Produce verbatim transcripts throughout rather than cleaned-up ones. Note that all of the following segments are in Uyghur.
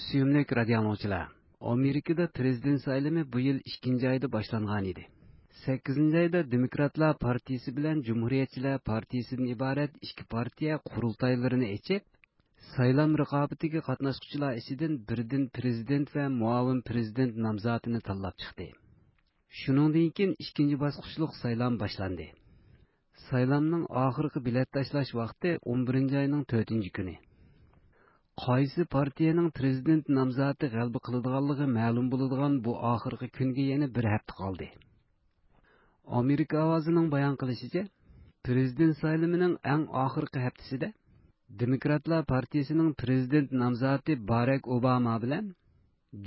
سۆيۈملۈك رادىيو ئاڭلىغۇچىلار، ئامېرىكىدا پىرېزىدېنت سايلىمى بۇ يىل ئىككىنچى ئايدا باشلانغان ئىدى. سەككىزىنچى ئايدا دېموكراتلار پارتىيىسى بىلەن جۇمھۇرىيەتچىلەر پارتىيىسىدىن ئىبارەت ئىككى پارتىيە قۇرۇلتايلىرىنى ئېچىپ، سايلام رىقابىتىگە قاتناشقۇچىلار ئىچىدىن بىردىن پىرېزىدېنت ۋە مۇئاۋىن پىرېزىدېنت نامزاتىنى تاللاپ چىقتى. شۇنىڭدىن كېيىن ئىككىنچى باسقۇچلۇق سايلام باشلاندى. سايلامنىڭ ئاخىرقى بېلەت تاشلاش ۋاقتى ئون بىرىنچى ئاينىڭ تۆتىنچى كۈنى. قايسى پارتىيەنىڭ پىرېزىدېنت نامزاتى غەلىبە قىلىدىغانلىقى مەلۇم بولىدىغان بۇ ئاخىرقى كۈنگە يەنە بىر ھەپتە قالدى. ئامېرىكا ئاۋازىنىڭ بايان قىلىشىچە، پىرېزىدېنت سايلىمىنىڭ ئەڭ ئاخىرقى ھەپتىسىدە دېموكراتلار پارتىيىسىنىڭ پىرېزىدېنت نامزاتى باراك ئوباما بىلەن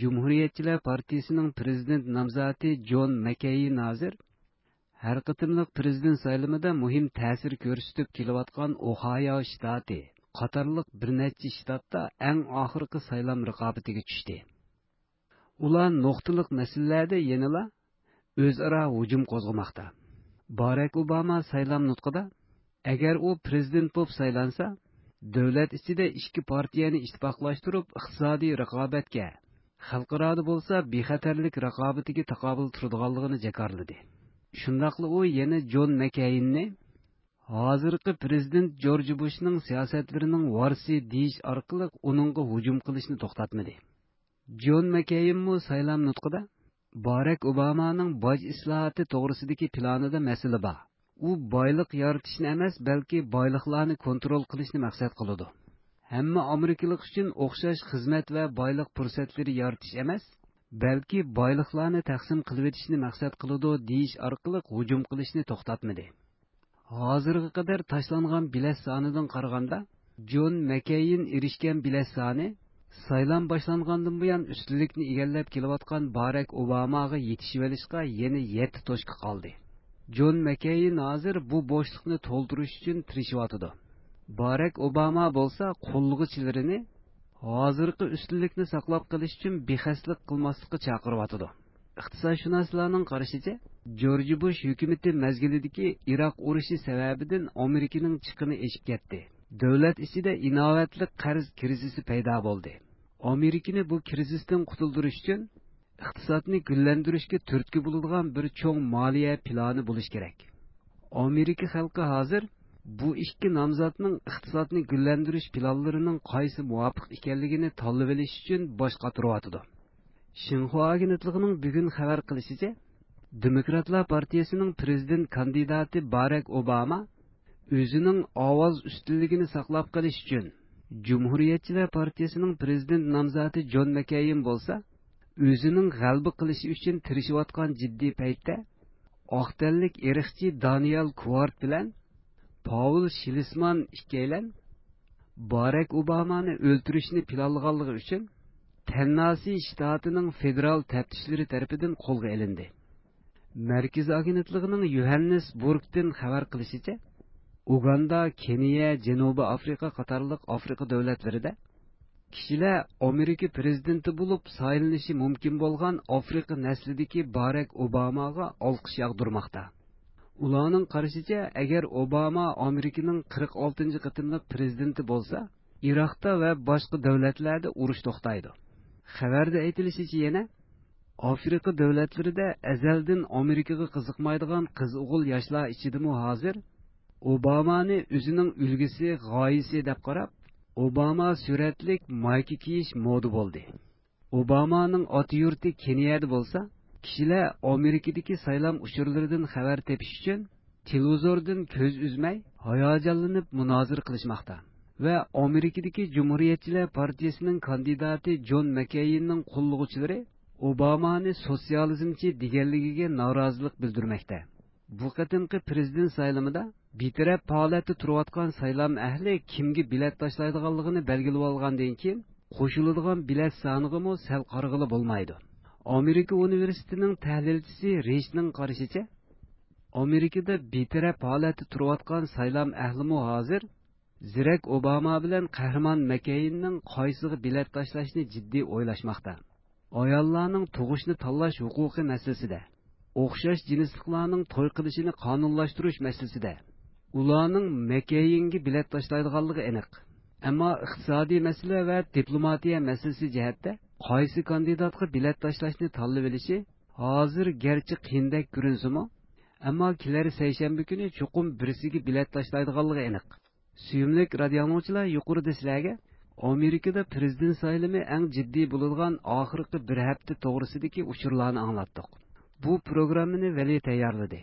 جۇمھۇرىيەتچىلەر پارتىيىسىنىڭ پىرېزىدېنت نامزاتى جون مەككەين ھازىر ھەر قېتىملىق پىرېزىدېنت سايلىمىدا مۇھىم تەسىر كۆرسىتىپ كېلىۋاتقان ئوھايو شتاتى قاتارلىق بىر نەچچە شتاتتا ئەڭ ئاخىرقى سايلام رىقابىتىگە چۈشتى. ئۇلار نۇقتىلىق مەسىلىلەردە يەنىلا ئۆزئارا ھۇجۇم قوزغىماقتا. باراك ئوباما سايلام نۇتقىدا، ئەگەر ئۇ پىرېزىدېنت بولۇپ سايلانسا، دۆلەت ئىچىدە ئىككى پارتىيەنى ئىتتىپاقلاشتۇرۇپ، ئىقتىسادىي رىقابەتكە، خەلقئارادا بولسا بىخەتەرلىك رىقابىتىگە تاقابىل تۇرىدىغانلىقىنى جاكارلىدى. شۇنداقلا ئۇ يەنە جون مەككەيننى ھازىرقى پىرېزىدېنت جورج بۇشنىڭ سىياسەتلىرىنىڭ ۋارىسى دېيىش ئارقىلىق ئۇنىڭغا ھۇجۇم قىلىشنى توختاتمىدى. جون مەككەينمۇ سايلام نۇتقىدا باراك ئوبامانىڭ باج ئىسلاھاتى توغرىسىدىكى پىلانىدا مەسىلە بار. ئۇ بايلىق يارىتىشنى ئەمەس، بەلكى بايلىقلارنى كونترول قىلىشنى مەقسەت قىلىدۇ. ھەممە ئامېرىكىلىق ئۈچۈن ئوخشاش خىزمەت ۋە بايلىق پۇرسەتلىرى يارىتىش ئەمەس، بەلكى بايلىقلارنى تەقسىم قىلىۋېتىشنى مەقسەت قىلىدۇ، دېيىش ئارقىلىق ھۇجۇم قىلىشنى توختاتمىدى. ھازىرغا قەدەر تاشلانغان بېلەت سانىدىن قارىغاندا، جون مەككەين ئېرىشكەن بېلەت سانى سايلام باشلانغاندىن بۇيان ئۈستۈنلۈكنى ئىگىلەپ كېلىۋاتقان باراك ئوباماغا يېتىشىۋېلىشقا يەنە يەتتە توچكا قالدى. جون مەككەين ھازىر بۇ بوشلۇقنى تولدۇرۇش ئۈچۈن تىرىشىۋاتىدۇ. باراك ئوباما بولسا قوللىغۇچىلىرىنى ھازىرقى ئۈستۈنلۈكنى ساقلاپ قېلىش ئۈچۈن بىخەستەلىك قىلماسلىققا چاقىرىۋاتىدۇ. ئىقتىسادشۇناسلارنىڭ قارىشىچە، جورج بۇش ھۆكۈمىتى مەزگىلىدىكى ئىراق ئۇرۇشى سەۋەبىدىن ئامېرىكىنىڭ چىقىمى ئېشىپ كەتتى. دۆلەت ئىچىدە ئىناۋەتلىك قەرز كىرىزىسى پەيدا بولدى. ئامېرىكىنى بۇ كىرىزىستىن قۇتۇلدۇرۇش ئۈچۈن ئىقتىسادنى گۈللەندۈرۈشكە تۈرتكە بولىدىغان بىر چوڭ مالىيە پىلانى بولۇشى كېرەك. ئامېرىكا خەلقى ھازىر بۇ ئىككى نامزاتنىڭ ئىقتىسادنى گۈللەندۈرۈش پىلانلىرىنىڭ قايسى مۇۋاپىق ئىكەنلىكىنى تاللىۋېلىش ئۈچۈن باش قاتۇرۇۋاتىدۇ. شىنخۇا ئاگېنتلىقىنىڭ بۈگۈن خەۋەر قىلىشىچە، دېموكراتلار پارتىيىسىنىڭ پىرېزىدېنت كاندىداتى باراك ئوباما ئۆزىنىڭ ئاۋاز ئۈستۈنلۈكىنى ساقلاپ قېلىش ئۈچۈن، جۇمھۇرىيەتچىلەر پارتىيىسىنىڭ پىرېزىدېنت نامزاتى جون مەككەين بولسا، ئۆزىنىڭ غەلىبە قىلىشى ئۈچۈن تىرىشىۋاتقان جىددىي پەيتتە، ئاق تەنلىك ئىرقچى دانىيال كۇۋارت بىلەن پاۋېل شىلسمان ئىككىيلەن باراك ئوبامانى ئۆلتۈرۈشنى پىلانلىغانلىقى ئۈچۈن تەنناسى شتاتىنىڭ فېدېرال تەپتىشلىرى تەرىپىدىن قولغا ئېلىندى. مەركىزىي ئاگېنتلىقىنىڭ يوھاننېسبۇرگتىن خەۋەر قىلىشىچە، ئۇگاندا، كېنىيە، جەنۇبىي ئافرىقا قاتارلىق ئافرىقا دۆلەتلىرىدە كىشىلەر ئامېرىكا پىرېزىدېنتى بولۇپ سايلىنىشى مۇمكىن بولغان ئافرىقا نەسلىدىكى باراك ئوباماغا ئالقىش ياغدۇرماقتا. ئۇلارنىڭ قارىشىچە، ئەگەر ئوباما ئامېرىكىنىڭ قىرىق ئالتىنچى قېتىملىق پىرېزىدېنتى بولسا، ئىراقتا ۋە باشقا دۆلەتلەردە ئۇرۇش توختايدۇ. خەۋەردە ئېيتىلىشىچە يەنە، ئافرىقا دۆلەتلىرىدە ئەزەلدىن ئامېرىكىغا قىزىقمايدىغان قىز-ئوغۇل ياشلار ئىچىدىمۇ ھازىر ئوبامانى ئۆزىنىڭ ئۈلگىسى، غايىسى دەپ قاراپ، ئوباما سۈرەتلىك مايكا كىيىش مودا بولدى. ئوبامانىڭ ئاتا يۇرتى كېنىيەدە بولسا، كىشىلەر ئامېرىكىدىكى سايلام ئۇچۇرلىرىدىن خەۋەر تېپىش ئۈچۈن تېلېۋىزوردىن كۆز ئۈزمەي، ھاياجانلىنىپ مۇنازىرە قىلىشماقتا ۋە ئامېرىكىدىكى جۇمھۇرىيەتچىلەر پارتىيىسىنىڭ كاندىداتى جون مەككەيننىڭ قوللىغۇچىلىرى ئوبامانى سوتسىيالىزمچى دېگەنلىكىگە نارازىلىق بىلدۈرمەكتە. بۇ قېتىمقى پىرېزىدېنت سايلىمىدا بىتەرەپ ھالەتتە تۇرۇۋاتقان سايلام ئەھلى كىمگە بېلەت تاشلايدىغانلىقىنى بەلگىلىۋالغاندىن كېيىن، قوشۇلىدىغان بېلەت سانىغىمۇ سەل قارىغىلى بولمايدۇ. ئامېرىكا ئۇنىۋېرسىتېتىنىڭ تەھلىلچىسى رىچنىڭ قارىشىچە، ئامېرىكىدا بىتەرەپ ھالەتتە تۇرۇۋاتقان سايلام ئەھلىمۇ ھازىر زېرەك ئوباما بىلەن قەھرىمان مەككەيننىڭ قايسىغا بېلەت تاشلاشنى جىددىي ئويلاشماقتا. ئاياللارنىڭ تۇغۇشنى تاللاش ھوقۇقى مەسىلىسىدە، ئوخشاش جىنسلىقلارنىڭ توي قىلىشىنى قانۇنلاشتۇرۇش مەسىلىسىدە ئۇلارنىڭ مەككەينگە بېلەت تاشلايدىغانلىقى ئېنىق. ئەمما ئىقتىسادىي مەسىلە ۋە دىپلوماتىيە مەسىلىسى جەھەتتە قايسى كاندىداتقا بېلەت تاشلاشنى تاللىۋېلىشى ھازىر گەرچە قىيىندەك كۆرۈنسىمۇ، ئەمما كېلەر سەيشەنبە كۈنى چوقۇم بىرسىگە بېلەت تاشلايدىغانلىقى ئېنىق. سۆيۈملۈك رادىئو ئاڭلىغۇچىلار، يۇقىرىدا سىلەرگە ئامېرىكىدا پىرېزىدېنت سايلىمى ئەڭ جىددىي بولىدىغان ئاخىرقى بىر ھەپتە توغرىسىدىكى ئۇچۇرلارنى ئاڭلاتتۇق. بۇ پروگراممىنى ۋەلى تەييارلىدى.